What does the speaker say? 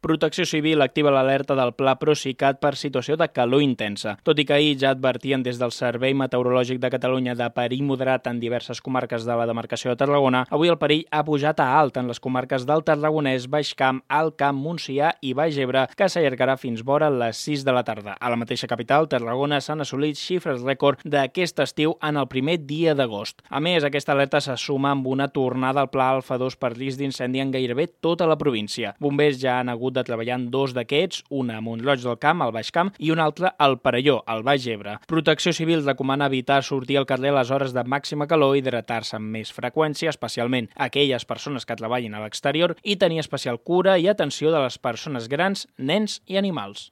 Protecció Civil activa l'alerta del Pla Procicat per situació de calor intensa. Tot i que ahir ja advertien des del Servei Meteorològic de Catalunya de perill moderat en diverses comarques de la demarcació de Tarragona, avui el perill ha pujat a alt en les comarques del Tarragonès, Baix Camp, Alt Camp, Montsià i Baix Ebre, que s'allargarà fins vora les 6 de la tarda. A la mateixa capital, Tarragona, s'han assolit xifres rècord d'aquest estiu en el primer dia d'agost. A més, aquesta alerta se suma amb una tornada al Pla Alfa 2 per risc d'incendi en gairebé tota la província. Bombers ja han hagut de treballar en 2 d'aquests, una a Mont-roig del Camp, al Baix Camp, i una altra al Perelló, al Baix Ebre. Protecció Civil recomana evitar sortir al carrer a les hores de màxima calor, hidratar-se amb més freqüència, especialment aquelles persones que treballin a l'exterior, i tenir especial cura i atenció de les persones grans, nens i animals.